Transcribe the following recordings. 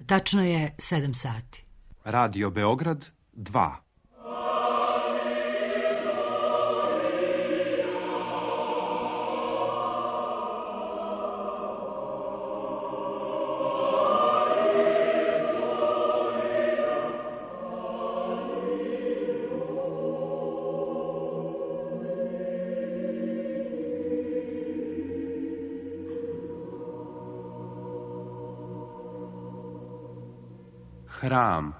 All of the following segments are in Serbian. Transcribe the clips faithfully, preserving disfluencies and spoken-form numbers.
Tačno je sedam sati. Radio Beograd dva. Hram.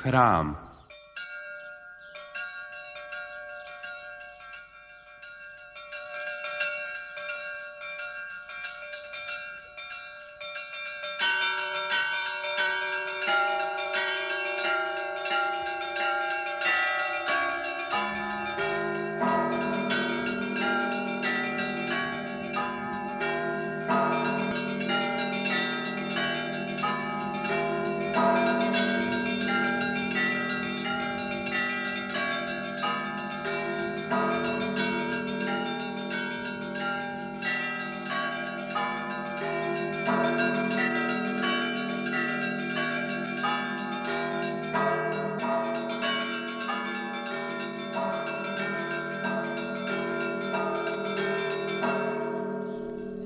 Hram.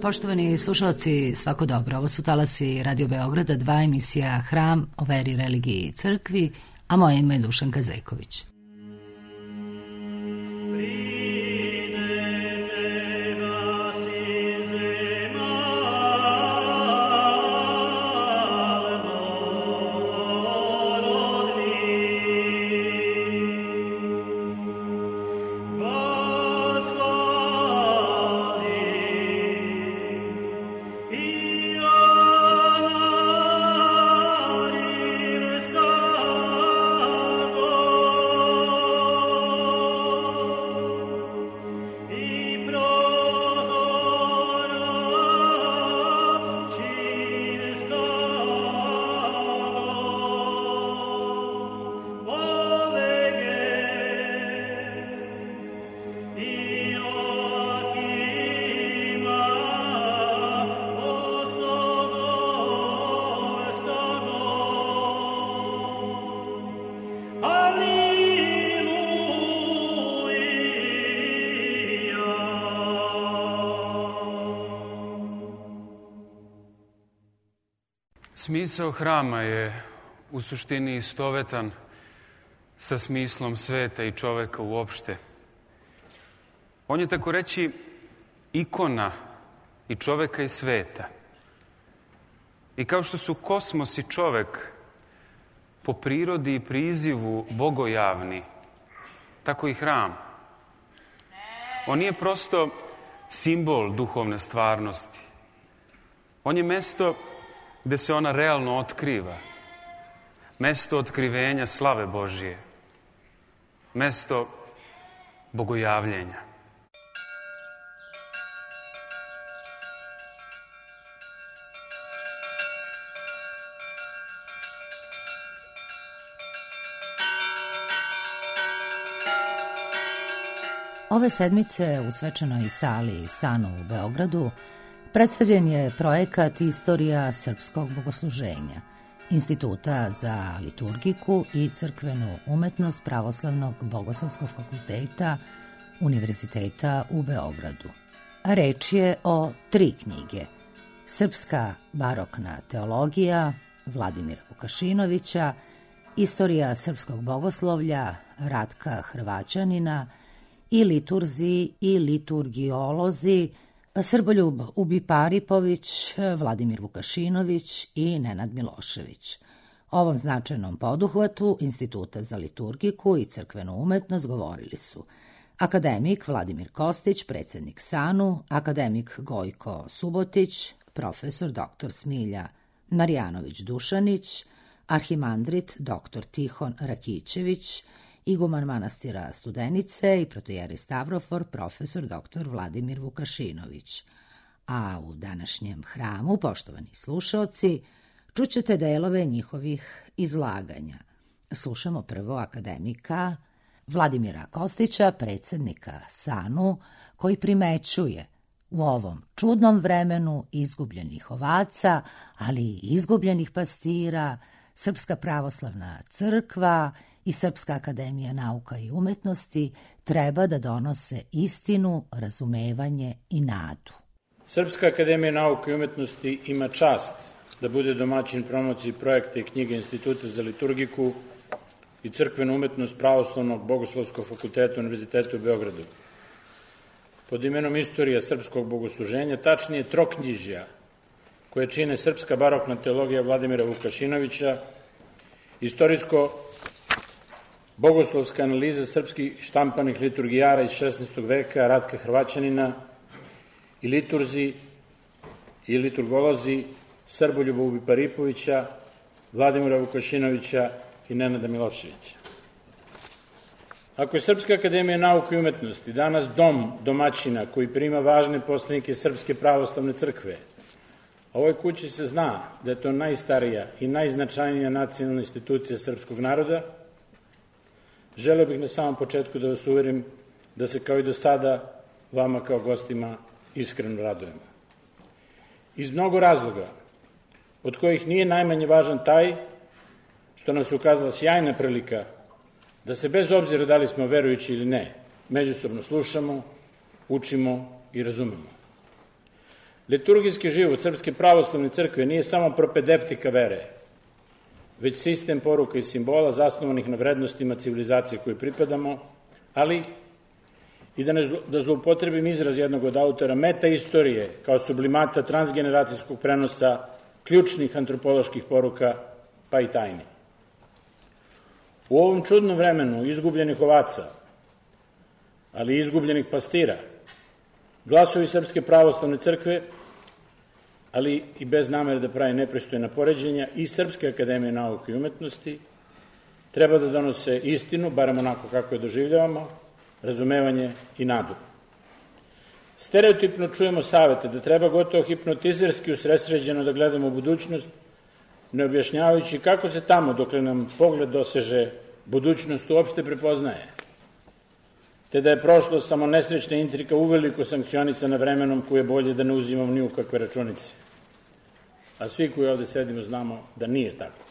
Poštovani slušalci, svako dobro. Ovo su talasi Radio Beograda, dva, emisija Hram o veri, religiji i crkvi, a moje ime je Dušanka Zejković. Smisao hrama je u suštini istovetan sa smislom sveta i čoveka uopšte. On je, tako reći, ikona i čoveka i sveta. I kao što su kosmos i čovek po prirodi i prizivu bogojavni, tako i hram. On nije prosto simbol duhovne stvarnosti. On je mesto gde se ona realno otkriva. Mesto otkrivenja slave Božije. Mesto bogojavljenja. Ove sedmice u svečanoj sali Sanu u Beogradu predstavljen je projekat Istorija srpskog bogosluženja Instituta za liturgiku i crkvenu umetnost Pravoslavnog bogoslovskog fakulteta Univerziteta u Beogradu. A reč je o tri knjige: Srpska barokna teologija Vladimira Vukašinovića, Istorija srpskog bogoslovlja Ratka Hrvaćanina i Liturzi i liturgiolozi Srboljub Ubiparipović, Vladimir Vukašinović i Nenad Milošević. O ovom značajnom poduhvatu Instituta za liturgiku i crkvenu umetnost govorili su akademik Vladimir Kostić, predsjednik Sanu, akademik Gojko Subotić, profesor doktor Smilja Marjanović Dušanić, arhimandrit doktor Tihon Rakićević iguman manastira Studenice i protojeri Stavrofor profesor doktor Vladimir Vukašinović. A u današnjem hramu, poštovani slušaoci, čućete delove njihovih izlaganja. Slušamo prvo akademika Vladimira Kostića, predsjednika SANU, koji primećuje u ovom čudnom vremenu izgubljenih ovaca, ali i izgubljenih pastira, Srpska pravoslavna crkva i Srpska akademija nauka i umetnosti treba da donose istinu, razumevanje i nadu. Srpska akademija nauka i umetnosti ima čast da bude domaćin promociji projekta i knjige Instituta za liturgiku i crkvenu umetnost Pravoslavnog bogoslovskog fakulteta Univerziteta u Beogradu. Pod imenom Istorija srpskog bogosluženja, tačnije troknjižja, koje čine srpska barokna teologija Vladimira Vukašinovića, istorijsko-bogoslovska analiza srpskih štampanih liturgijara iz šesnaestog veka Ratka Hrvaćanina i liturzi i liturgolozi Srboljuba Ubiparipovića, Vladimira Vukašinovića i Nenada Miloševića. Ako je Srpska akademija nauka i umetnosti danas dom domaćina koji prima važne poslanike Srpske pravoslavne crkve, a ovoj kući se zna da je to najstarija i najznačajnija nacionalna institucija srpskog naroda, želeo bih na samom početku da vas uverim da se kao i do sada vama kao gostima iskreno radujemo. Iz mnogo razloga, od kojih nije najmanje važan taj što nam se ukazala sjajna prilika da se bez obzira da li smo verujući ili ne, međusobno slušamo, učimo i razumemo. Liturgijski život Srpske pravoslavne crkve nije samo propedevtika vere, već sistem poruka i simbola zasnovanih na vrednostima civilizacije koje pripadamo, ali i da, ne, da zloupotrebim izraz jednog od autora, meta istorije kao sublimata transgeneracijskog prenosa ključnih antropoloških poruka pa i tajni. U ovom čudnom vremenu izgubljenih ovaca, ali i izgubljenih pastira, glasovi Srpske pravoslavne crkve, ali i bez namere da pravi nepristojna poređenja, i Srpske akademije nauke i umetnosti, treba da donose istinu, barem onako kako je doživljavamo, razumevanje i nadu. Stereotipno čujemo savete da treba gotovo hipnotizerski usresređeno da gledamo u budućnost, ne objašnjavajući kako se tamo, dokle nam pogled doseže, budućnost uopšte prepoznaje, te da je prošlost samo nesrećna intrika uveliko sankcionisana vremenom koje je bolje da ne uzimamo ni u kakve računice. A svi koji ovde sedimo znamo da nije tako.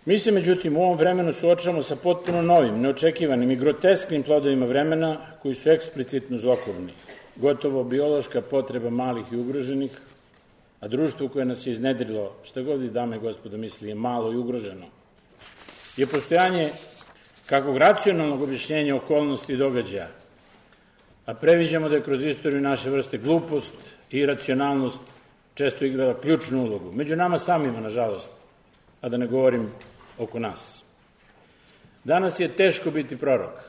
Mi se, međutim, u ovom vremenu suočavamo sa potpuno novim, neočekivanim i grotesknim plodovima vremena koji su eksplicitno zlokobni, gotovo biološka potreba malih i ugroženih, a društvo koje nas je iznedrilo, šta god i dame i gospodo misli, je malo i ugroženo, je postojanje kakvog racionalnog objašnjenja okolnosti i događaja, a previđamo da je kroz istoriju naše vrste glupost i iracionalnost često igrala ključnu ulogu. Među nama samima, nažalost, a da ne govorim oko nas. Danas je teško biti prorok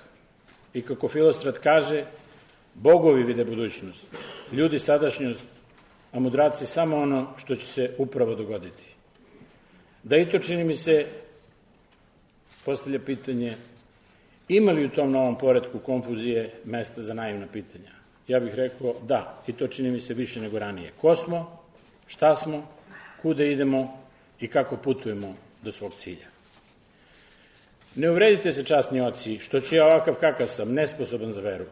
i kako Filostrat kaže, bogovi vide budućnost, ljudi sadašnjost, a mudraci samo ono što će se upravo dogoditi. Da i to, čini mi se, postavlja pitanje, ima li u tom novom poretku konfuzije mesta za naivna pitanja? Ja bih rekao da, i to čini mi se više nego ranije. Ko smo, šta smo, kuda idemo i kako putujemo do svog cilja. Ne uvredite se, časni oci, što ću ja ovakav kakav sam, nesposoban za veru.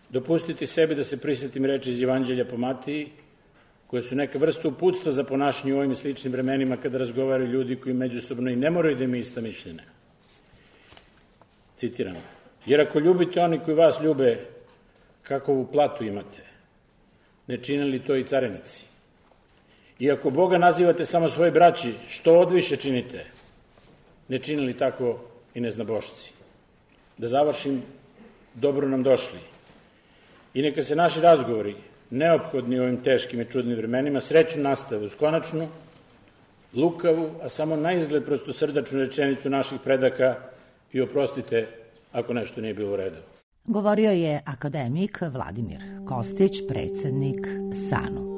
Dopustiti sebi da se prisetim reči iz Evanđelja po Matiji, koje su neka vrsta uputstva za ponašanje u ovim sličnim vremenima kada razgovaraju ljudi koji međusobno i ne moraju da imaju ista mišljenja. Citiram, jer ako ljubite oni koji vas ljube, kakovu platu imate, ne čine li to i carenici? I ako Boga nazivate samo svoje braći, što odviše činite, ne čine li tako i neznabošci? Da završim, dobro nam došli. I neka se naši razgovori, neophodni u ovim teškim i čudnim vremenima, srećno nastave uz konačnu, lukavu, a samo na izgled prostosrdačnu rečenicu naših predaka i oprostite ako nešto nije bilo u redu. Govorio je akademik Vladimir Kostić, predsjednik SANU.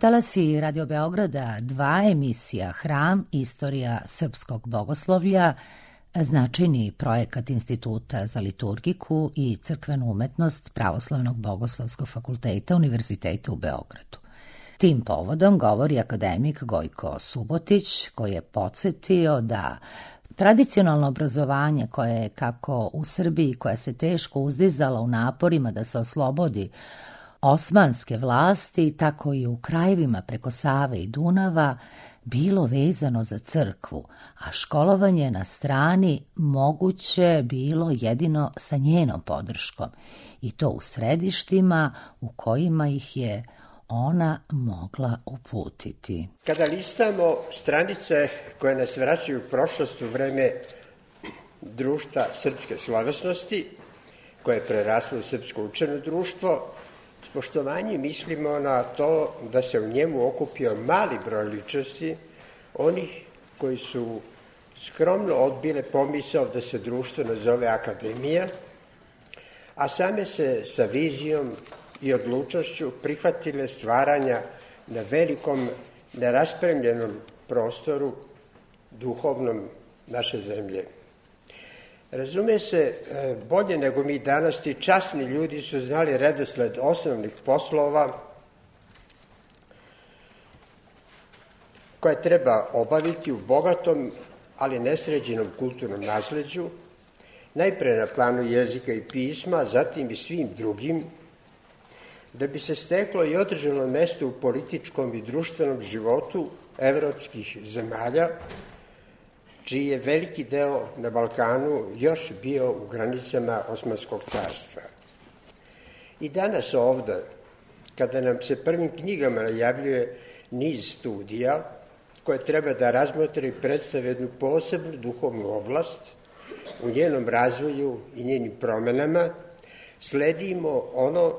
Talasi Radio Beograda dva, emisija Hram, istorija srpskog bogoslovlja, značajni projekat Instituta za liturgiku i crkvenu umetnost Pravoslavnog bogoslovskog fakulteta Univerziteta u Beogradu. Tim povodom govori akademik Gojko Subotić, koji je podsjetio da tradicionalno obrazovanje koje je kako u Srbiji, koja se teško uzdizala u naporima da se oslobodi osmanske vlasti, tako i u krajevima preko Save i Dunava, bilo vezano za crkvu, a školovanje na strani moguće bilo jedino sa njenom podrškom, i to u središtima u kojima ih je ona mogla uputiti. Kada listamo stranice koje nas vraćaju u prošlost u vreme društva srpske slovesnosti, koje je preraslo u srpsko učeno društvo, s poštovanjem mislimo na to da se u njemu okupio mali broj ličnosti, onih koji su skromno odbile pomisao da se društvo nazove akademija, a same se sa vizijom i odlučnošću prihvatile stvaranja na velikom, neraspremljenom prostoru duhovnom naše zemlje. Razume se, bolje nego mi danas, ti časni ljudi su znali redosled osnovnih poslova koje treba obaviti u bogatom, ali nesređenom kulturnom nasleđu, najpre na planu jezika i pisma, zatim i svim drugim, da bi se steklo i održano mesto u političkom i društvenom životu evropskih zemalja, čiji je veliki deo na Balkanu još bio u granicama Osmanskog carstva. I danas ovde, kada nam se prvim knjigama najavljuje niz studija koje treba da razmotre i predstave jednu posebnu duhovnu oblast u njenom razvoju i njenim promenama, sledimo ono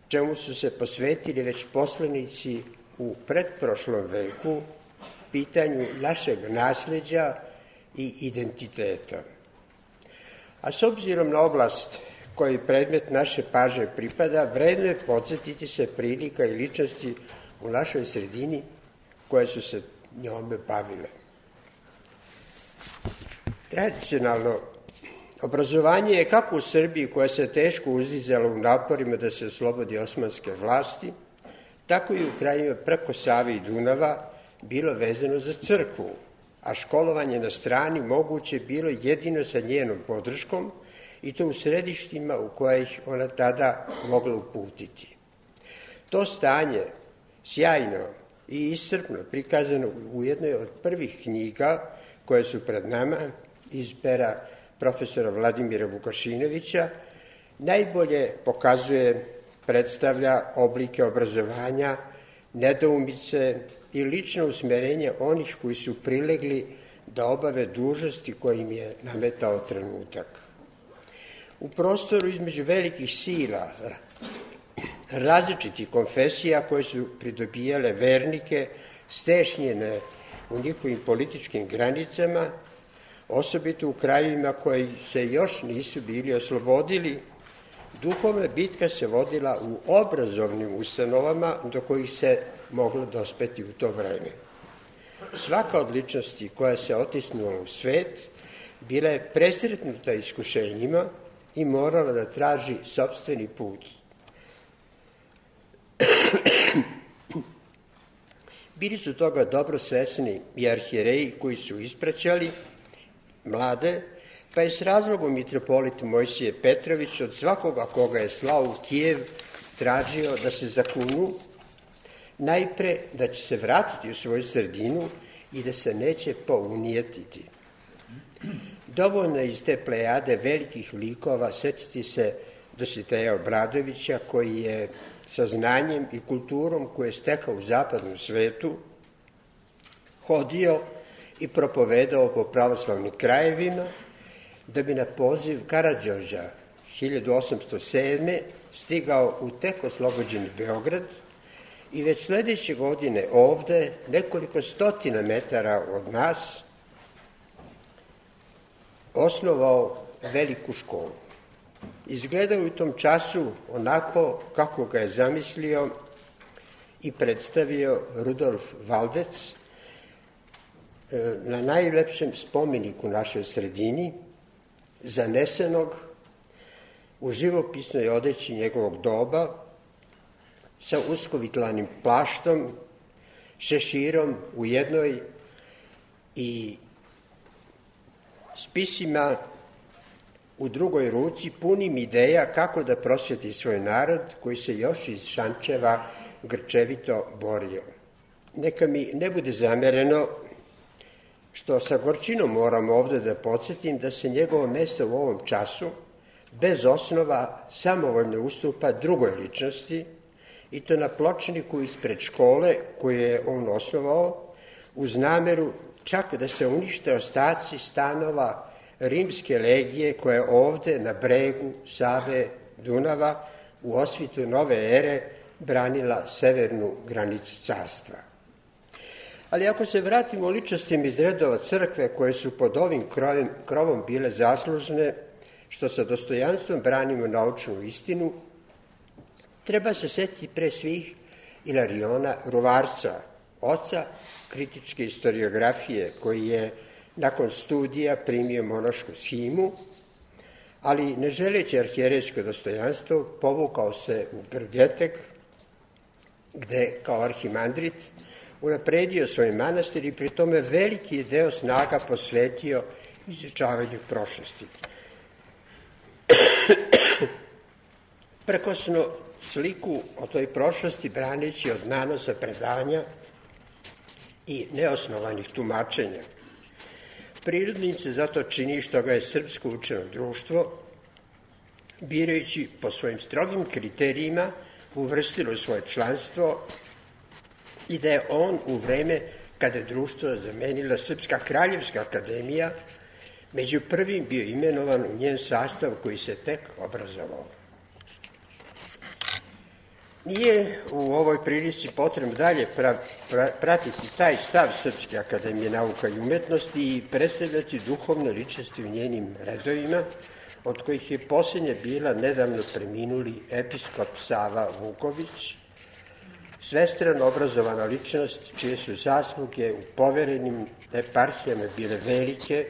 čemu su se posvetili već poslanici u pretprošlom veku, pitanju našeg nasleđa i identiteta. A s obzirom na oblast koji predmet naše pažnje pripada, vredno je podsjetiti se prilika i ličnosti u našoj sredini koje su se njome bavile. Tradicionalno obrazovanje je kako u Srbiji, koja se teško uzdizala u naporima da se oslobodi osmanske vlasti, tako i u krajima preko Save i Dunava bilo vezano za crkvu, a školovanje na strani moguće bilo jedino sa njenom podrškom, i to u središtima u koje ih ona tada mogla uputiti. To stanje, sjajno i iscrpno prikazano u jednoj od prvih knjiga koje su pred nama, iz pera profesora Vladimira Vukašinovića, najbolje pokazuje, predstavlja oblike obrazovanja, nedoumice i lično usmerenje onih koji su prilegli da obave dužnosti koje im je nametao trenutak. U prostoru između velikih sila, različitih konfesija koje su pridobijale vernike, stešnjene u njihovim političkim granicama, osobito u krajevima koji se još nisu bili oslobodili, duhovna bitka se vodila u obrazovnim ustanovama do kojih se moglo dospeti u to vreme. Svaka od ličnosti koja se otisnula u svet bila je presretnuta iskušenjima i morala da traži sopstveni put. Bili su toga dobro svesni i arhijereji koji su ispraćali mlade, pa je s razlogom mitropolit Mojsije Petrović od svakoga koga je slao u Kijev tražio da se zakunu, najpre da će se vratiti u svoju sredinu i da se neće pounijetiti. Dovoljno je iz te plejade velikih likova setiti se Dositeja Obradovića, koji je sa znanjem i kulturom koje je stekao u zapadnom svetu hodio i propovedao po pravoslavnim krajevima, da bi na poziv Karađorđa hiljadu osamsto sedme. stigao u tek oslobođeni Beograd i već sledeće godine ovde, nekoliko stotina metara od nas, osnovao veliku školu. Izgledao u tom času onako kako ga je zamislio i predstavio Rudolf Valdec na najlepšem spomeniku našoj sredini, zanesenog u živopisnoj odeći njegovog doba, sa uskovitlanim plaštom, šeširom u jednoj i spisima u drugoj ruci, punim ideja kako da prosvjeti svoj narod koji se još iz Šančeva grčevito borio. Neka mi ne bude zamereno što sa gorčinom moram ovde da podsjetim da se njegovo mesto u ovom času bez osnova samovoljno ustupa drugoj ličnosti, i to na pločniku ispred škole koju je on osnovao, uz nameru čak da se unište ostaci stanova rimske legije koja je ovde na bregu Save Dunava u osvitu nove ere branila severnu granicu carstva. Ali ako se vratimo ličnostima iz redova crkve koje su pod ovim krovom, krovom bile zaslužne, što sa dostojanstvom branimo naučnu istinu, treba se setiti pre svih Ilariona Ruvarca, oca kritičke historiografije, koji je nakon studija primio monašku shimu, ali ne želeći arhijerejsko dostojanstvo, povukao se u Grgetek, gde kao arhimandrit unapredio svoj manastir i pri tome veliki deo snaga posvetio izučavanju prošlosti. Prekosno sliku o toj prošlosti braneći od nanosa predanja i neosnovanih tumačenja. Prirodnim se zato čini što ga je srpsko učeno društvo, birajući po svojim strogim kriterijima, uvrstilo svoje članstvo i da je on u vreme kada je društvo zamenila Srpska kraljevska akademija među prvim bio imenovan u njen sastav koji se tek obrazovao. Nije u ovoj prilici potrebno dalje pra, pra, pratiti taj stav Srpske akademije nauka i umetnosti i predstavljati duhovne ličnosti u njenim redovima, od kojih je posljednja bila nedavno preminuli episkop Sava Vuković, svestrano obrazovana ličnost čije su zasluge u poverenim eparhijama bile velike,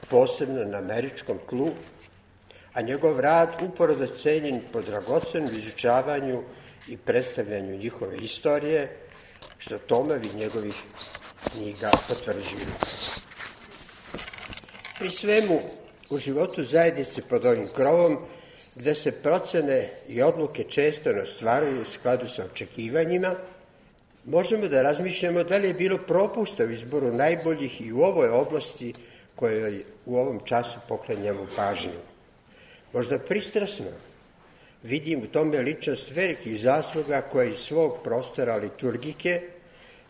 posebno na američkom tlu, a njegov rad uporado cenjen po dragocenom izučavanju i predstavljanju njihove istorije, što tomovi njegovih knjiga potvrđuju. Pri svemu, u životu zajednice pod ovim krovom, gde se procene i odluke često ne ostvaruju u skladu sa očekivanjima, možemo da razmišljamo da li je bilo propusta u izboru najboljih i u ovoj oblasti kojoj u ovom času poklanjamo pažnju. Možda pristrasno vidim u tome ličnost velikih zasluga koja iz svog prostora liturgike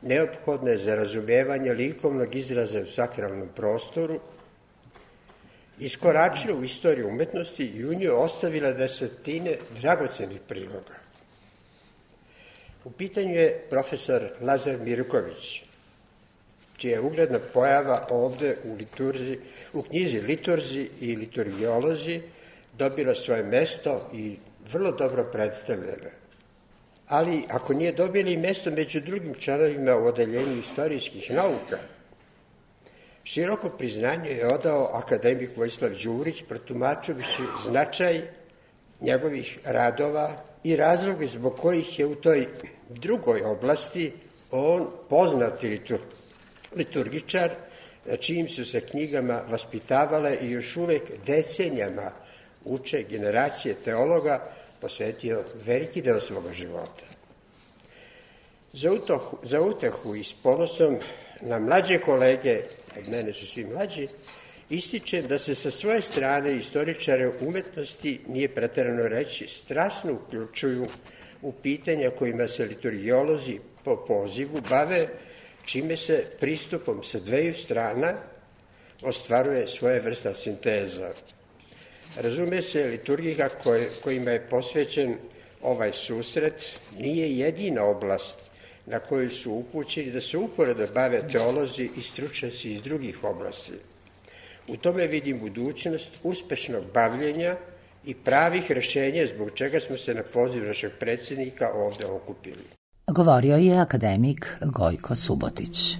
neophodne za razumevanje likovnog izraza u sakralnom prostoru, iskoračila u istoriju umetnosti i u njoj ostavila desetine dragocenih priloga. U pitanju je profesor Lazar Mirković, čija je ugledna pojava ovde u, liturzi, u knjizi Liturzi i liturgiolozi dobila svoje mesto i vrlo dobro predstavljena. Ali ako nije dobila i mesto među drugim članovima u odeljenju istorijskih nauka, široko priznanje je odao akademik Vojislav Đurić, protumačujući značaj njegovih radova i razloge zbog kojih je u toj drugoj oblasti on poznati litur, liturgičar, na čijim su se knjigama vaspitavale i još uvek decenijama uče generacije teologa, posvetio veliki deo svoga života. Za, utohu, za utehu i s ponosom na mlađe kolege, od mene su svi mlađi, ističem da se sa svoje strane istoričare umetnosti, nije preterano reći, strasno uključuju u pitanja kojima se liturgiolozi po pozivu bave, čime se pristupom sa dveju strana ostvaruje svoje vrsta sinteza. Razume se, liturgija koj, kojima je posvećen ovaj susret nije jedina oblast na koju su upućeni da se uporedo bave teolozi i stručnjaci iz drugih oblasti. U tome vidim budućnost uspešnog bavljenja i pravih rešenja zbog čega smo se na poziv našeg predsjednika ovde okupili. Govorio je akademik Gojko Subotić.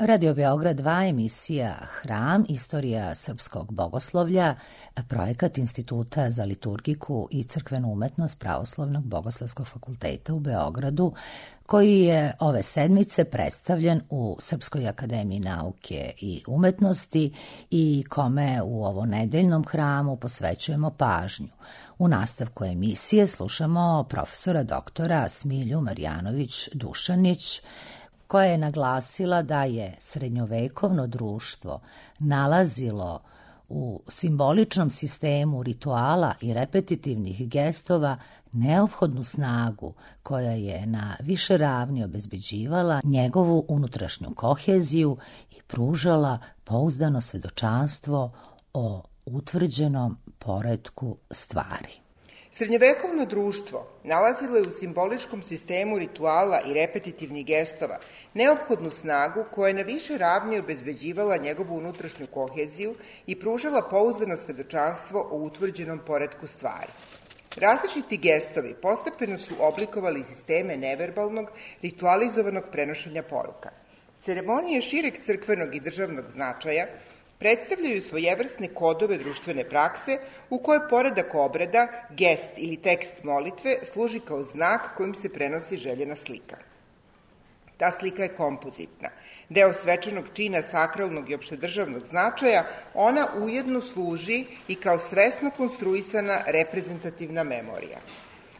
Radio Beograd dva, emisija Hram, istorija srpskog bogoslovlja, projekat Instituta za liturgiku i crkvenu umetnost Pravoslavnog bogoslovskog fakulteta u Beogradu, koji je ove sedmice predstavljen u Srpskoj akademiji nauke i umetnosti i kome u ovo nedeljnom hramu posvećujemo pažnju. U nastavku emisije slušamo profesora doktora Smilju Marjanović-Dušanić, koja je naglasila da je srednjovekovno društvo nalazilo u simboličnom sistemu rituala i repetitivnih gestova neophodnu snagu koja je na više ravni obezbeđivala njegovu unutrašnju koheziju i pružala pouzdano svedočanstvo o utvrđenom poretku stvari. Srednjovekovno društvo nalazilo je u simboličkom sistemu rituala i repetitivnih gestova neophodnu snagu koja je na više ravni obezbeđivala njegovu unutrašnju koheziju i pružala pouzdano svedočanstvo o utvrđenom poretku stvari. Različiti gestovi postepeno su oblikovali sisteme neverbalnog, ritualizovanog prenošenja poruka. Ceremonije šireg crkvenog i državnog značaja predstavljaju svojevrsne kodove društvene prakse u kojoj poredak obreda, gest ili tekst molitve služi kao znak kojim se prenosi željena slika. Ta slika je kompozitna. Deo svečanog čina sakralnog i opštedržavnog značaja, ona ujedno služi i kao svesno konstruisana reprezentativna memorija.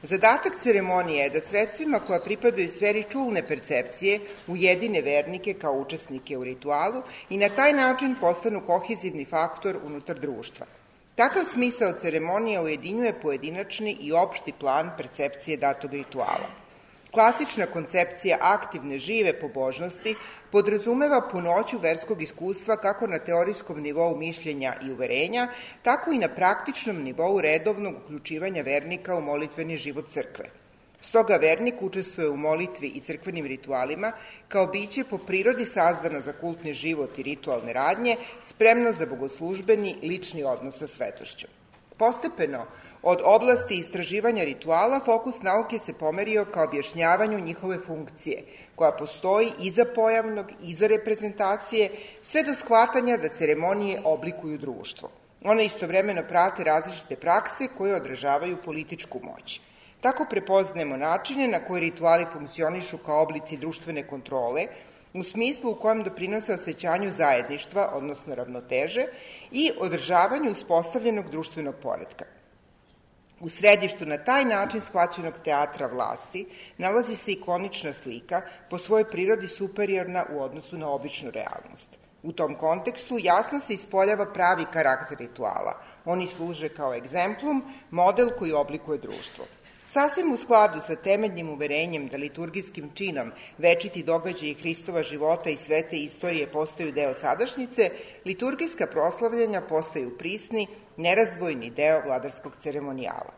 Zadatak ceremonije je da sredstvima koja pripadaju sferi čulne percepcije ujedine vernike kao učesnike u ritualu i na taj način postanu kohezivni faktor unutar društva. Takav smisao ceremonija ujedinjuje pojedinačni i opšti plan percepcije datog rituala. Klasična koncepcija aktivne, žive pobožnosti podrazumeva punoću verskog iskustva kako na teorijskom nivou mišljenja i uverenja, tako i na praktičnom nivou redovnog uključivanja vernika u molitveni život crkve. Stoga vernik učestvuje u molitvi i crkvenim ritualima kao biće po prirodi sazdano za kultni život i ritualne radnje, spremno za bogoslužbeni lični odnos sa svetošću. Postepeno, od oblasti istraživanja rituala, fokus nauke se pomerio ka objašnjavanju njihove funkcije, koja postoji iza pojavnog, iza reprezentacije, sve do shvatanja da ceremonije oblikuju društvo. One istovremeno prate različite prakse koje odražavaju političku moć. Tako prepoznajemo načine na koje rituali funkcionišu kao oblici društvene kontrole, u smislu u kojem doprinose osjećanju zajedništva, odnosno ravnoteže, i održavanju uspostavljenog društvenog poretka. U središtu na taj način shvaćenog teatra vlasti nalazi se ikonična slika, po svojoj prirodi superiorna u odnosu na običnu realnost. U tom kontekstu jasno se ispoljava pravi karakter rituala. Oni služe kao egzemplum, model koji oblikuje društvo. Sasvim u skladu sa temeljnim uverenjem da liturgijskim činom večiti događaji Hristova života i svete istorije postaju deo sadašnjice, liturgijska proslavljanja postaju prisni, nerazdvojni deo vladarskog ceremonijala.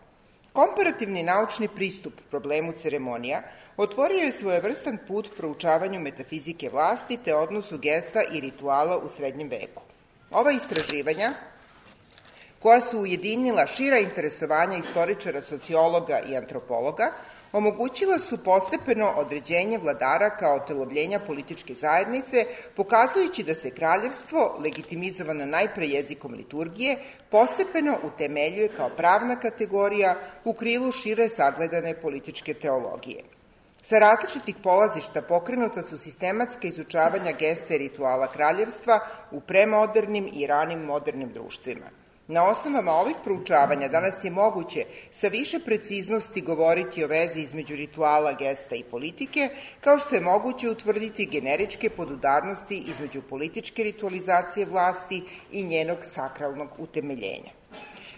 Komparativni naučni pristup problemu ceremonija otvorio je svojevrstan put proučavanju metafizike vlasti te odnosu gesta i rituala u srednjem veku. Ova istraživanja, koja su ujedinila šira interesovanja istoričara, sociologa i antropologa, omogućila su postepeno određenje vladara kao otelovljenja političke zajednice, pokazujući da se kraljevstvo, legitimizovano najpre jezikom liturgije, postepeno utemeljuje kao pravna kategorija u krilu šire sagledane političke teologije. Sa različitih polazišta pokrenuta su sistematska izučavanja gesta i rituala kraljevstva u premodernim i ranim modernim društvima. Na osnovama ovih proučavanja danas je moguće sa više preciznosti govoriti o vezi između rituala, gesta i politike, kao što je moguće utvrditi generičke podudarnosti između političke ritualizacije vlasti i njenog sakralnog utemeljenja.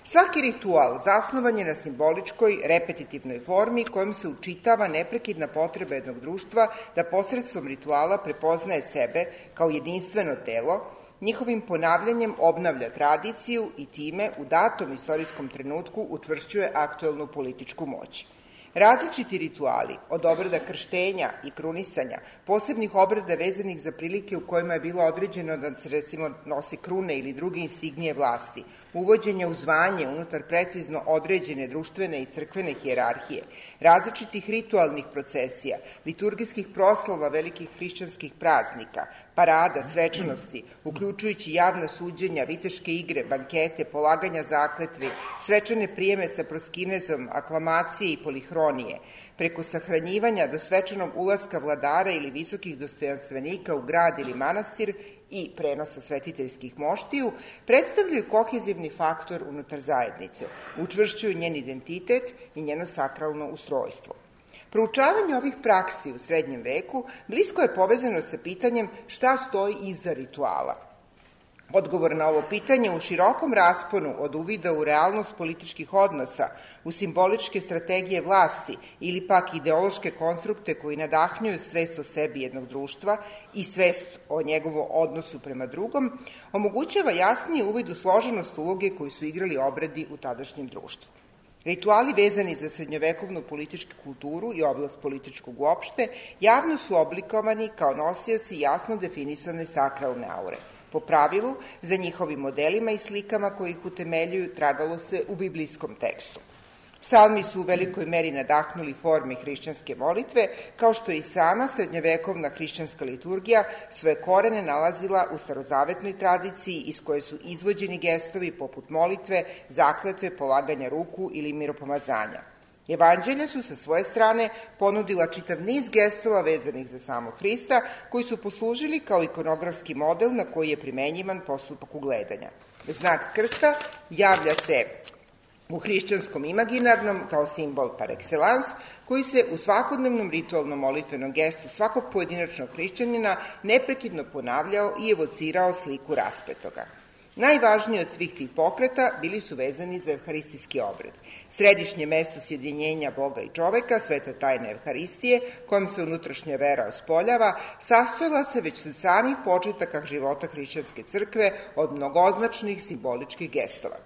Svaki ritual zasnovan je na simboličkoj, repetitivnoj formi kojom se učitava neprekidna potreba jednog društva da posredstvom rituala prepoznaje sebe kao jedinstveno telo, njihovim ponavljanjem obnavlja tradiciju i time u datom istorijskom trenutku učvršćuje aktuelnu političku moć. Različiti rituali, od obreda krštenja i krunisanja, posebnih obreda vezanih za prilike u kojima je bilo određeno da se recimo nosi krune ili druge insignije vlasti, uvođenja u zvanje unutar precizno određene društvene i crkvene hijerarhije, različitih ritualnih procesija, liturgijskih proslava velikih hrišćanskih praznika, parada, svečanosti, uključujući javna suđenja, viteške igre, bankete, polaganja zakletvi, svečane prijeme sa proskinezom, aklamacije i polihronije, preko sahranjivanja do svečanog ulaska vladara ili visokih dostojanstvenika u grad ili manastir i prenosa svetiteljskih moštiju, predstavljaju kohezivni faktor unutar zajednice, učvršćuju njen identitet i njeno sakralno ustrojstvo. Proučavanje ovih praksi u srednjem veku blisko je povezano sa pitanjem šta stoji iza rituala. Odgovor na ovo pitanje u širokom rasponu od uvida u realnost političkih odnosa, u simboličke strategije vlasti ili pak ideološke konstrukte koji nadahnjuju svest o sebi jednog društva i svest o njegovom odnosu prema drugom, omogućava jasniji uvid u složenost uloge koju su igrali obredi u tadašnjem društvu. Rituali vezani za srednjovekovnu političku kulturu i oblast političkog uopšte javno su oblikovani kao nosioci jasno definisane sakralne aure. Po pravilu, za njihovim modelima i slikama koji ih utemeljuju tragalo se u biblijskom tekstu. Psalmi su u velikoj meri nadahnuli formi hrišćanske molitve, kao što je i sama srednjovekovna hrišćanska liturgija svoje korene nalazila u starozavetnoj tradiciji iz koje su izvođeni gestovi poput molitve, zakletve, polaganja ruku ili miropomazanja. Evanđelja su sa svoje strane ponudila čitav niz gestova vezanih za samog Hrista, koji su poslužili kao ikonografski model na koji je primenjivan postupak ugledanja. Znak krsta javlja se u hrišćanskom imaginarnom kao simbol par excellence, koji se u svakodnevnom ritualnom molitvenom gestu svakog pojedinačnog hrišćanina neprekidno ponavljao i evocirao sliku raspetoga. Najvažniji od svih tih pokreta bili su vezani za evharistijski obred. Središnje mesto sjedinjenja Boga i čoveka, sveta tajna Evharistije, kojom se unutrašnja vera ospoljava, sastojala se već sa samih početaka života hrišćanske crkve od mnogoznačnih simboličkih gestova.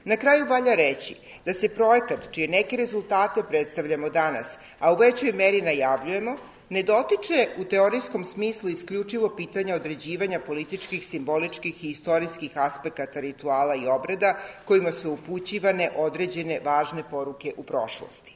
Na kraju valja reći da se projekat, čije neke rezultate predstavljamo danas, a u većoj meri najavljujemo, ne dotiče u teorijskom smislu isključivo pitanja određivanja političkih, simboličkih i istorijskih aspekata rituala i obreda kojima su upućivane određene važne poruke u prošlosti.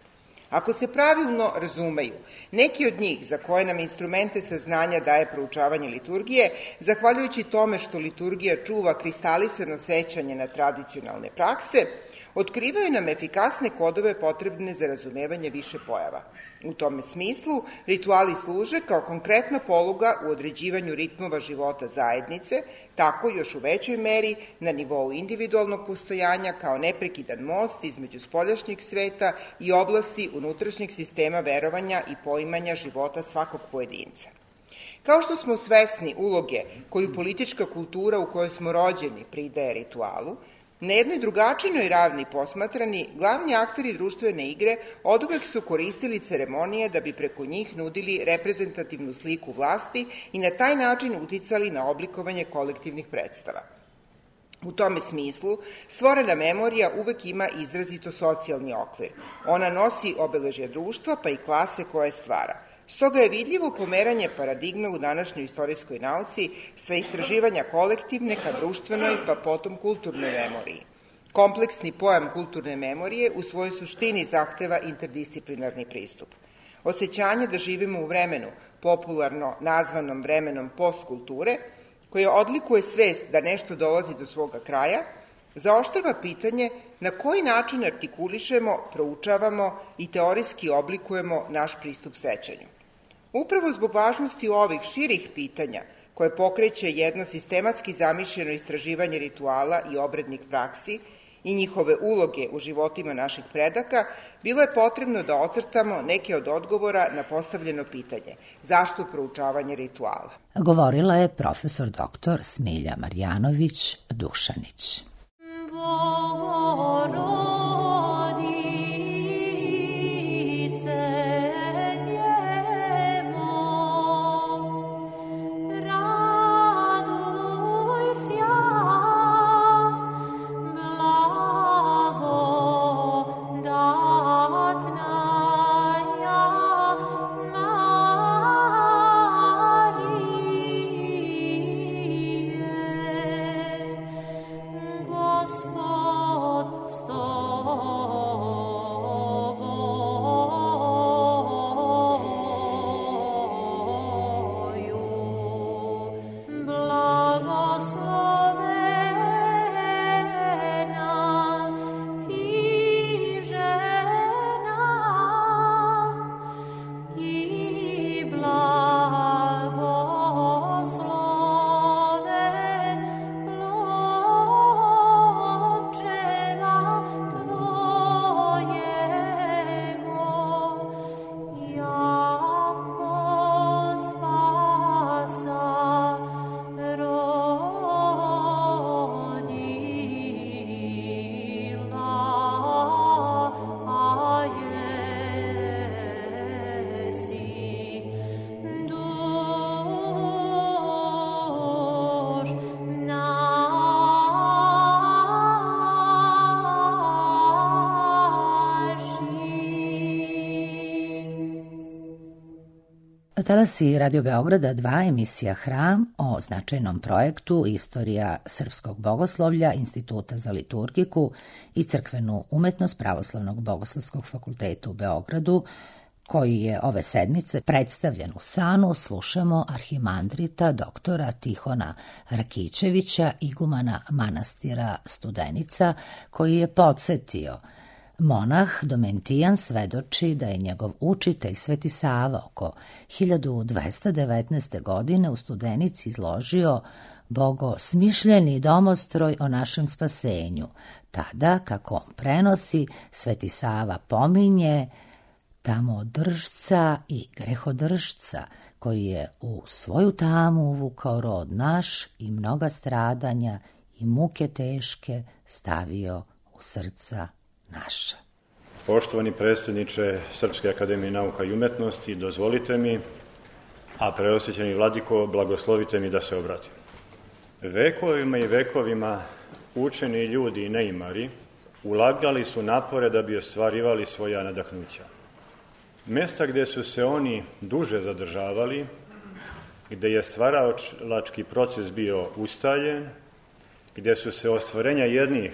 Ako se pravilno razumeju, neki od njih za koje nam instrumente saznanja daje proučavanje liturgije, zahvaljujući tome što liturgija čuva kristalisano sećanje na tradicionalne prakse, otkrivaju nam efikasne kodove potrebne za razumevanje više pojava. U tome smislu, rituali služe kao konkretna poluga u određivanju ritmova života zajednice, tako još u većoj meri na nivou individualnog postojanja kao neprekidan most između spoljašnjeg sveta i oblasti unutrašnjeg sistema verovanja i poimanja života svakog pojedinca. Kao što smo svesni uloge koju politička kultura u kojoj smo rođeni pridaje ritualu, na jednoj drugačijnoj ravni posmatrani, glavni akteri društvene igre oduvek su koristili ceremonije da bi preko njih nudili reprezentativnu sliku vlasti i na taj način uticali na oblikovanje kolektivnih predstava. U tome smislu, stvorena memorija uvek ima izrazito socijalni okvir. Ona nosi obeležje društva, pa i klase koje stvara. Stoga je vidljivo pomeranje paradigme u današnjoj istorijskoj nauci sa istraživanja kolektivne ka društvenoj, pa potom kulturnoj memoriji. Kompleksni pojam kulturne memorije u svojoj suštini zahteva interdisciplinarni pristup. Osjećanje da živimo u vremenu, popularno nazvanom vremenom postkulture, koje odlikuje svest da nešto dolazi do svoga kraja, zaoštrava pitanje na koji način artikulišemo, proučavamo i teorijski oblikujemo naš pristup sećanju. Upravo zbog važnosti ovih širih pitanja, koje pokreće jedno sistematski zamišljeno istraživanje rituala i obrednih praksi i njihove uloge u životima naših predaka, bilo je potrebno da ocrtamo neke od odgovora na postavljeno pitanje – zašto proučavanje rituala? Govorila je profesor doktor Smilja Marjanović Dušanić. Talasi Radio Beograda dva, emisija Hram o značajnom projektu Istorija srpskog bogoslovlja Instituta za liturgiku i crkvenu umetnost Pravoslavnog bogoslovskog fakulteta u Beogradu, koji je ove sedmice predstavljen u Sanu, slušamo arhimandrita doktora Tihona Rakićevića, igumana manastira Studenica, koji je podsetio: monah Domentijan svedoči da je njegov učitelj Sveti Sava oko hiljadu dvesta devetnaeste. godine u Studenici izložio bogosmišljeni domostroj o našem spasenju. Tada, kako on prenosi, Sveti Sava pominje tamodržca i grehodržca, koji je u svoju tamu uvukao rod naš i mnoga stradanja i muke teške stavio u srca naša. Poštovani predsjedniče Srpske akademije nauka i umetnosti, dozvolite mi, a preosvećeni vladiko, blagoslovite mi da se obratim. Vekovima i vekovima učeni ljudi i neimari ulagali su napore da bi ostvarivali svoja nadahnuća. Mesta gdje su se oni duže zadržavali, gdje je stvaralački proces bio ustaljen, gdje su se ostvarenja jednih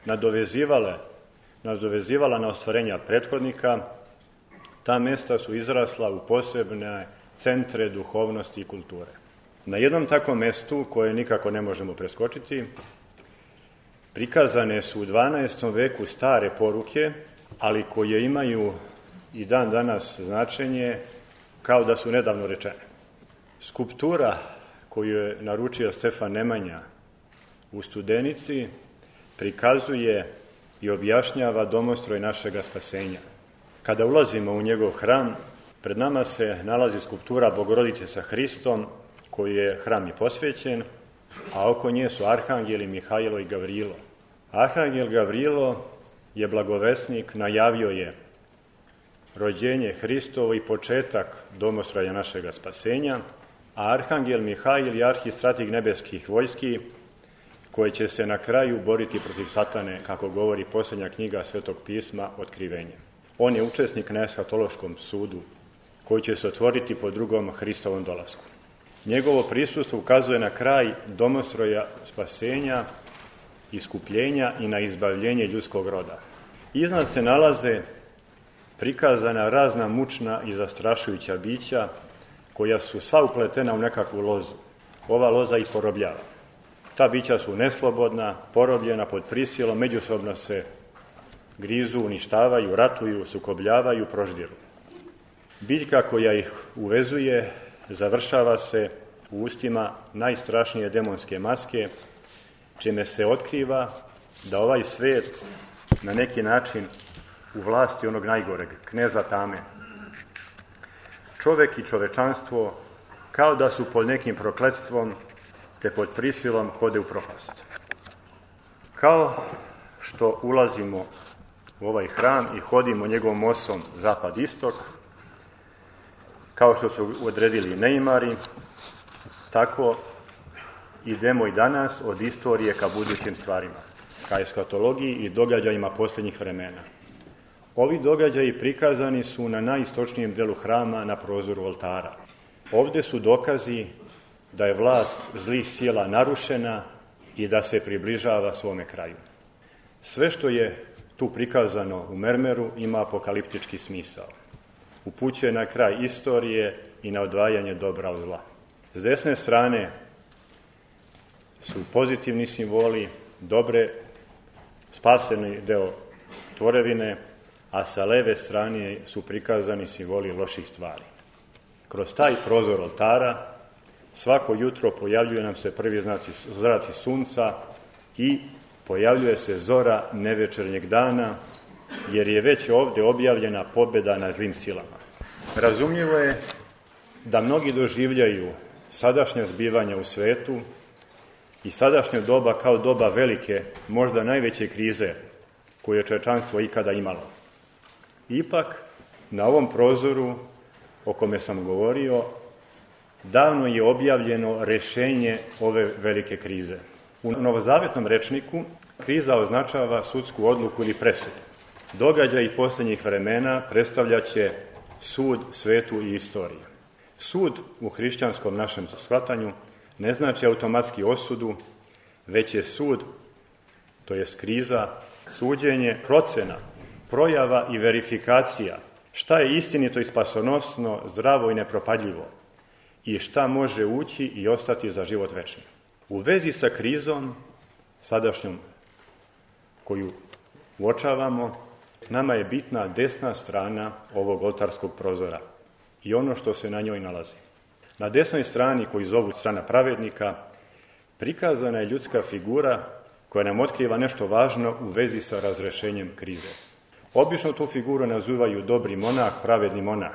nadovezivale nadovezivala na ostvarenja prethodnika, ta mesta su izrasla u posebne centre duhovnosti i kulture. Na jednom takvom mestu, koje nikako ne možemo preskočiti, prikazane su u dvanaestom veku stare poruke, ali koje imaju i dan danas značenje kao da su nedavno rečene. Skulptura koju je naručio Stefan Nemanja u Studenici prikazuje i objašnjava domostroj našega spasenja. Kada ulazimo u njegov hram, Pred nama se nalazi skulptura Bogorodice sa Hristom, koju je hram i posvećen, a oko nje su arhangeli Mihajlo i Gavrilo. Arhangel Gavrilo je blagovesnik, najavio je rođenje Hristovo i početak domostroja našega spasenja, a arhangel Mihajl je arhistrateg nebeskih vojski, koji će se na kraju boriti protiv satane, kako govori posljednja knjiga Svetog pisma, Otkrivenje. On je učesnik na eshatološkom sudu, koji će se otvoriti po drugom Hristovom dolasku. Njegovo prisustvo ukazuje na kraj domostroja spasenja, iskupljenja i na izbavljenje ljudskog roda. Iznad se nalaze prikazana razna mučna i zastrašujuća bića, koja su sva upletena u nekakvu lozu. Ova loza ih porobljava. Ta bića su neslobodna, porobljena pod prisilom, međusobno se grizu, uništavaju, ratuju, sukobljavaju, proždiru. Biljka koja ih uvezuje završava se u ustima najstrašnije demonske maske, čime se otkriva da ovaj svet na neki način u vlasti onog najgoreg, kneza tame. Čovek i čovečanstvo kao da su pod nekim prokletstvom te pod prisilom hode u propast. Kao što ulazimo u ovaj hram i hodimo njegovom osom zapad-istok, kao što su odredili neimari, tako idemo i danas od istorije ka budućim stvarima, ka eskatologiji i događajima posljednjih vremena. Ovi događaji prikazani su na najistočnijem delu hrama na prozoru oltara. Ovde su dokazi da je vlast zlih sila narušena i da se približava svome kraju. Sve što je tu prikazano u mermeru ima apokaliptički smisao. Upućuje na kraj istorije i na odvajanje dobra od zla. S desne strane su pozitivni simboli, dobre, spaseni deo tvorevine, a sa leve strane su prikazani simboli loših stvari. Kroz taj prozor oltara svako jutro pojavljuje nam se prvi znaci, zraci sunca i pojavljuje se zora nevečernjeg dana, jer je već ovde objavljena pobjeda na zlim silama. Razumljivo je da mnogi doživljaju sadašnja zbivanja u svetu i sadašnje doba kao doba velike, možda najveće krize koju je čovječanstvo ikada imalo. Ipak, na ovom prozoru o kome sam govorio, davno je objavljeno rešenje ove velike krize. U novozavetnom rečniku kriza označava sudsku odluku ili presudu. Događaji posljednjih vremena predstavljaće sud svetu i istoriji. Sud u hrišćanskom našem shvatanju ne znači automatski osudu, već je sud, to jest kriza, suđenje, procena, projava i verifikacija šta je istinito i spasonosno, zdravo i nepropadljivo i šta može ući i ostati za život večni. U vezi sa krizom, sadašnjom koju uočavamo, nama je bitna desna strana ovog oltarskog prozora i ono što se na njoj nalazi. Na desnoj strani, koju zovu strana pravednika, prikazana je ljudska figura koja nam otkriva nešto važno u vezi sa razrešenjem krize. Obično tu figuru nazivaju dobri monah, pravedni monah.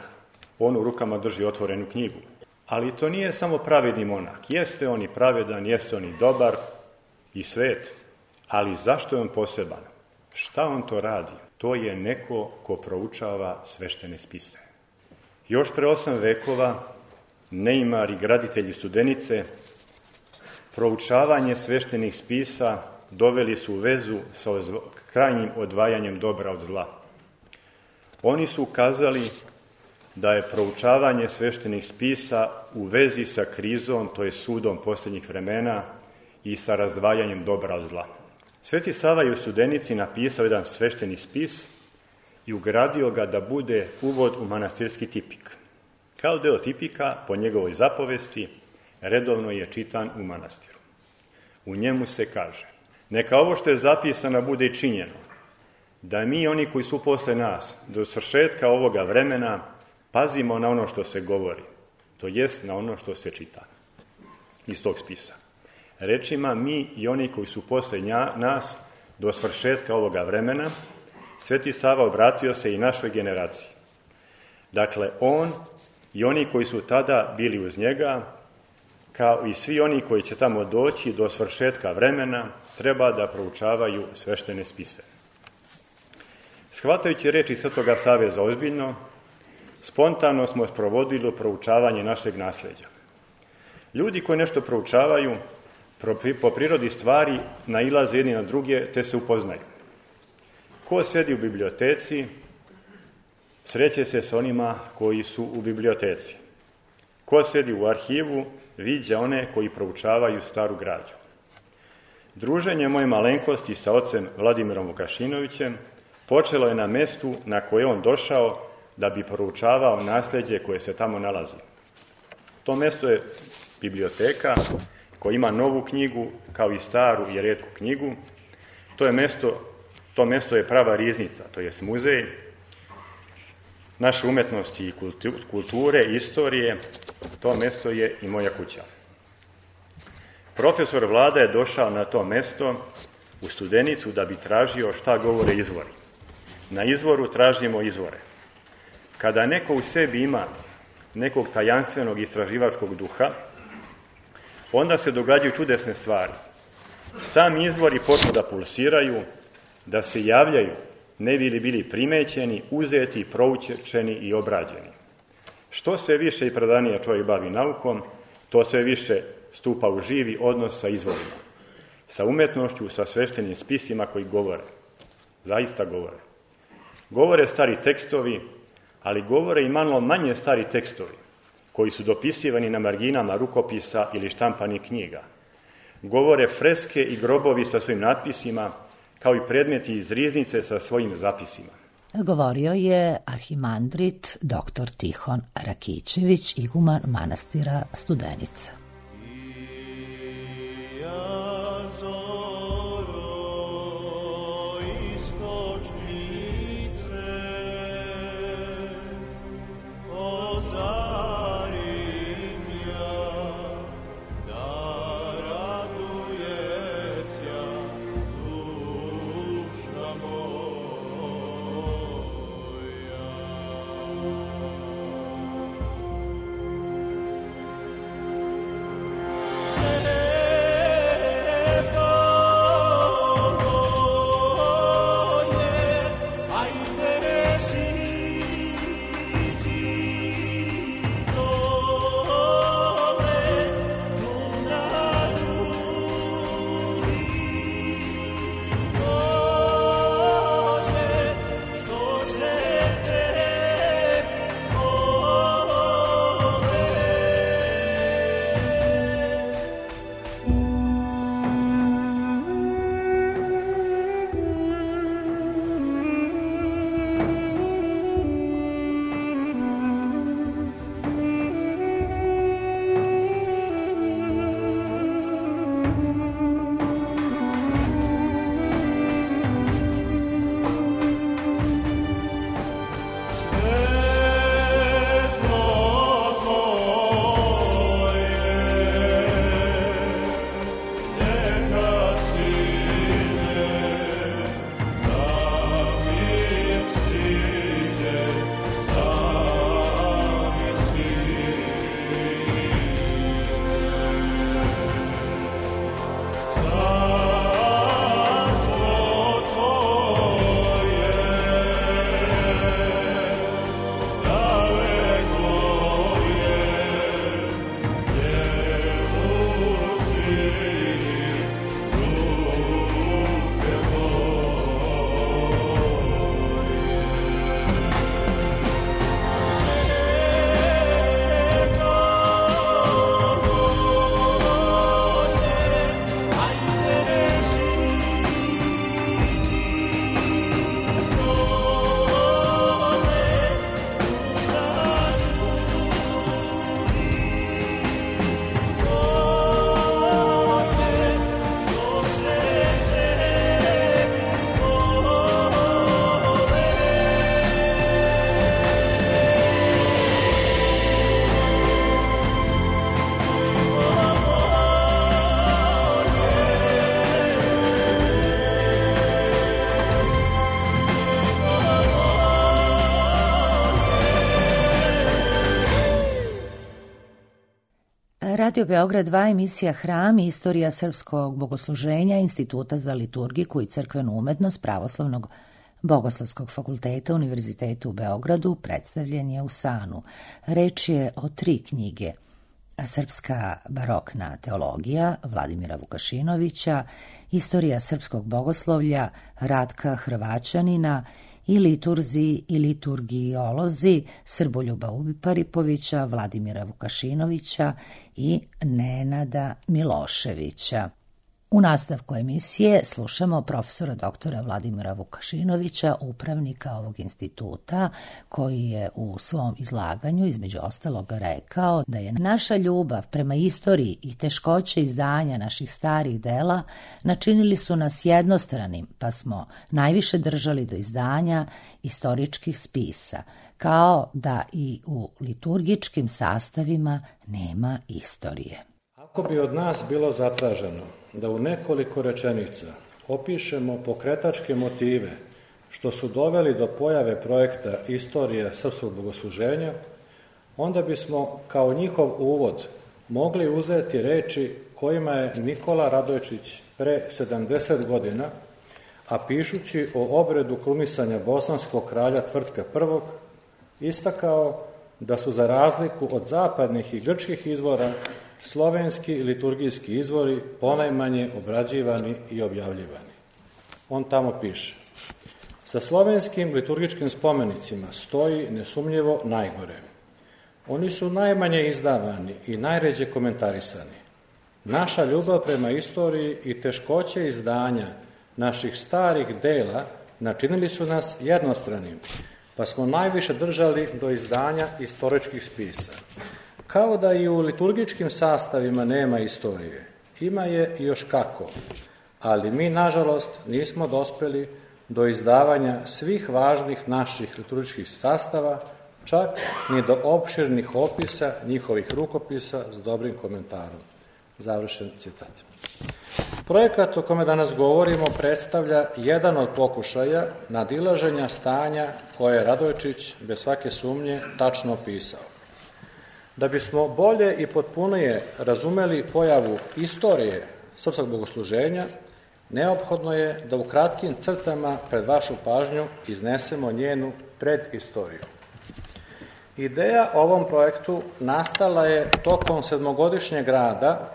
On u rukama drži otvorenu knjigu. Ali to nije samo pravedni monah. Jeste on i pravedan, jeste on i dobar i svet, ali zašto je on poseban? Šta on to radi? To je neko ko proučava sveštene spise. Još pre osam vekova neimari, graditelji Studenice, proučavanje sveštenih spisa doveli su u vezu sa krajnjim odvajanjem dobra od zla. Oni su ukazali da je proučavanje sveštenih spisa u vezi sa krizom, to je sudom posljednjih vremena i sa razdvajanjem dobra od zla. Sveti Sava je u Studenici napisao jedan svešteni spis i ugradio ga da bude uvod u manastirski tipik. Kao deo tipika, po njegovoj zapovesti, redovno je čitan u manastiru. U njemu se kaže: neka ovo što je zapisano bude i činjeno, da mi, oni koji su posle nas, do svršetka ovoga vremena, pazimo na ono što se govori, to jest na ono što se čita iz tog spisa. Rečima mi i oni koji su posle nas, do svršetka ovoga vremena, Sveti Sava obratio se i našoj generaciji, Dakle, on i oni koji su tada bili uz njega, kao i svi oni koji će tamo doći do svršetka vremena, treba da proučavaju sveštene spise. Shvatajući reči Svetoga Save za ozbiljno, spontano smo sprovodili proučavanje našeg nasleđa. Ljudi koji nešto proučavaju, po prirodi stvari nailaze jedni na druge, te se upoznaju. Ko sedi u biblioteci, sreće se s onima koji su u biblioteci. Ko sedi u arhivu, viđa one koji proučavaju staru građu. Druženje moje malenkosti sa ocem Vladimirom Vukašinovićem počelo je na mestu na koje on došao da bi proučavao nasleđe koje se tamo nalazi. To mesto je biblioteka koja ima novu knjigu kao i staru i retku knjigu. To je mesto, to mesto je prava riznica, to jest muzej naše umetnosti i kulture, istorije. To mesto je i moja kuća. Profesor Vlada je došao na to mesto u Studenicu da bi tražio šta govore izvori. Na izvoru tražimo izvore. Kada neko u sebi ima nekog tajanstvenog istraživačkog duha, onda se događaju čudesne stvari. Sami izvori počnu da pulsiraju, da se javljaju, ne bi li bili primećeni, uzeti, proučeni i obrađeni. Što se više i predanije čovjek bavi naukom, to sve više stupa u živi odnos sa izvorima, sa umetnošću, sa sveštenim spisima koji govore. Zaista govore. Govore stari tekstovi, ali govore i malo manje stari tekstovi, koji su dopisivani na marginama rukopisa ili štampanih knjiga. Govore freske i grobovi sa svojim natpisima, kao i predmeti iz riznice sa svojim zapisima. Govorio je arhimandrit doktor Tihon Rakićević, iguman manastira Studenica. Radio Beograd dva, emisija Hram, istorija srpskog bogosluženja, Instituta za liturgiku i crkvenu umetnost Pravoslavnog Bogoslovskog fakulteta Univerziteta u Beogradu predstavljen je u Sanu. Reč je o tri knjige: Srpska barokna teologija Vladimira Vukašinovića, Istorija srpskog bogoslovlja Ratka Hrvaćanina i Liturzi i liturgijolozi Srboljuba Ubiparipovića, Vladimira Vukašinovića i Nenada Miloševića. U nastavku emisije slušamo profesora doktora Vladimira Vukašinovića, upravnika ovog instituta, koji je u svom izlaganju između ostaloga rekao da je naša ljubav prema istoriji i teškoće izdanja naših starih dela načinili su nas jednostranim, pa smo najviše držali do izdanja istoričkih spisa, kao da i u liturgičkim sastavima nema istorije. Ako bi od nas bilo zatraženo da u nekoliko rečenica opišemo pokretačke motive što su doveli do pojave projekta Istorija srpskog bogosluženja, onda bismo kao njihov uvod mogli uzeti reči kojima je Nikola Radojčić pre sedamdeset godina, a pišući o obredu krunisanja bosanskog kralja Tvrtka prvog, istakao da su za razliku od zapadnih i grčkih izvora slovenski liturgijski izvori ponajmanje obrađivani i objavljivani. On tamo piše: sa slovenskim liturgičkim spomenicima stoji nesumnjivo najgore. Oni su najmanje izdavani i najređe komentarisani. Naša ljubav prema istoriji i teškoće izdanja naših starih dela načinili su nas jednostranim, pa smo najviše držali do izdanja istoričkih spisa. Kao da i u liturgičkim sastavima nema istorije, ima je još kako, ali mi, nažalost, nismo dospeli do izdavanja svih važnih naših liturgičkih sastava, čak ni do opširnih opisa njihovih rukopisa s dobrim komentarom. Završen citat. Projekat o kome danas govorimo predstavlja jedan od pokušaja nadilaženja stanja koje je Radojčić, bez svake sumnje, tačno opisao. Da bismo bolje i potpunije razumeli pojavu istorije srpskog bogosluženja, neophodno je da u kratkim crtama pred vašu pažnju iznesemo njenu predistoriju. Ideja o ovom projektu nastala je tokom sedmogodišnjeg rada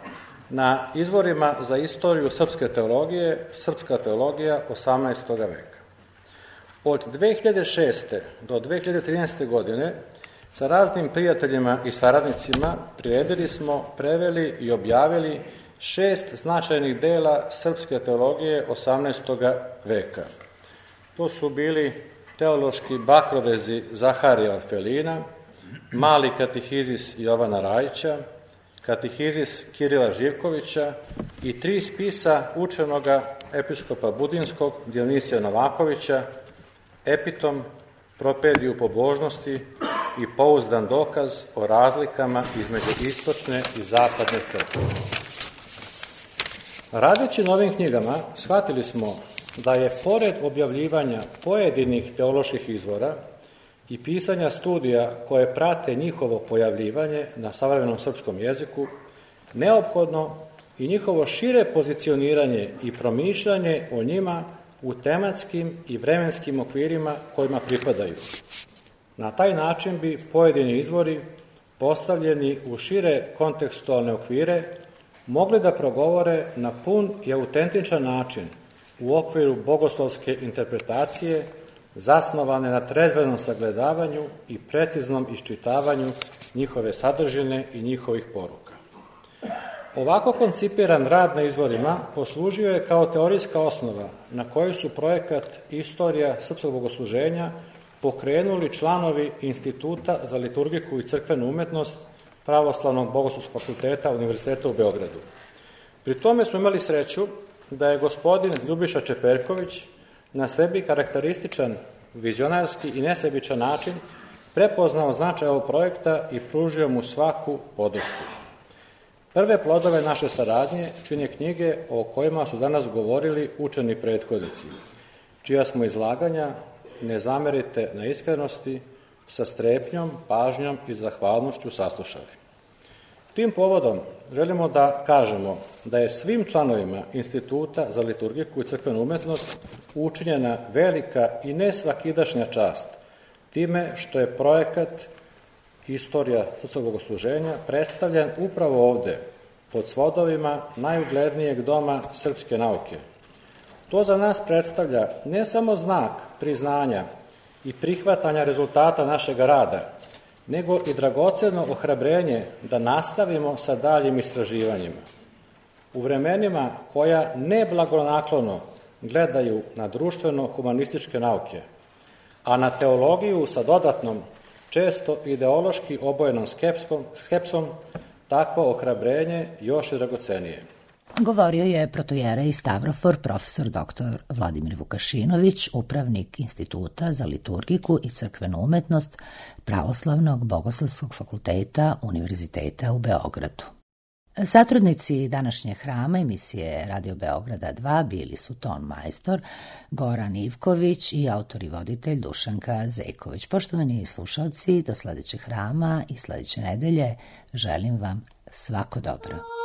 na izvorima za istoriju srpske teologije, Srpska teologija osamnaestog veka. Od dve hiljade šeste do dve hiljade trinaeste. godine sa raznim prijateljima i saradnicima priredili smo, preveli i objavili šest značajnih dela srpske teologije osamnaestog veka. To su bili teološki bakrovezi Zaharija Orfelina, mali katehizis Jovana Rajića, katehizis Kirila Živkovića i tri spisa učenoga episkopa Budinskog Dionisija Novakovića, Epitom, Propediju pobožnosti i pouzdan dokaz o razlikama između istočne i zapadne crkve. Radeći na ovim knjigama, shvatili smo da je, pored objavljivanja pojedinih teoloških izvora i pisanja studija koje prate njihovo pojavljivanje na savremenom srpskom jeziku, neophodno i njihovo šire pozicioniranje i promišljanje o njima u tematskim i vremenskim okvirima kojima pripadaju. Na taj način bi pojedini izvori, postavljeni u šire kontekstualne okvire, mogli da progovore na pun i autentičan način u okviru bogoslovske interpretacije, zasnovane na trezvenom sagledavanju i preciznom iščitavanju njihove sadržine i njihovih poruka. Ovako koncipiran rad na izvorima poslužio je kao teorijska osnova na kojoj su projekat Istorija srpskog bogosluženja pokrenuli članovi Instituta za liturgiku i crkvenu umetnost Pravoslavnog bogoslovskog fakulteta Univerziteta u Beogradu. Pri tome smo imali sreću da je gospodin Ljubiša Čeperković na sebi karakterističan, vizionarski i nesebičan način prepoznao značaj ovog projekta i pružio mu svaku podršku. Prve plodove naše saradnje čine knjige o kojima su danas govorili učeni prethodnici, čija smo izlaganja, ne zamerite na iskrenosti, sa strepnjom, pažnjom i zahvalnošću saslušali. Tim povodom želimo da kažemo da je svim članovima Instituta za liturgiku i crkvenu umetnost učinjena velika i nesvakidašnja čast time što je projekat Istorija srpskog bogosluženja predstavljen upravo ovde, pod svodovima najuglednijeg doma srpske nauke. To za nas predstavlja ne samo znak priznanja i prihvatanja rezultata našeg rada, nego i dragoceno ohrabrenje da nastavimo sa daljim istraživanjima. U vremenima koja neblagonaklono gledaju na društveno-humanističke nauke, a na teologiju sa dodatnom, često ideološki obojenom skepsom, skepsom, takvo ohrabrenje još je dragocenije. Govorio je protojerej Stavrofor profesor doktor Vladimir Vukašinović, upravnik Instituta za liturgiku i crkvenu umetnost Pravoslavnog bogoslovskog fakulteta Univerziteta u Beogradu. Satrudnici današnje hrama emisije Radio Beograda dva bili su ton majstor Goran Ivković i autor i voditelj Dušanka Zejković. Poštovani slušalci, do sledećeg hrama i sledeće nedelje želim vam svako dobro.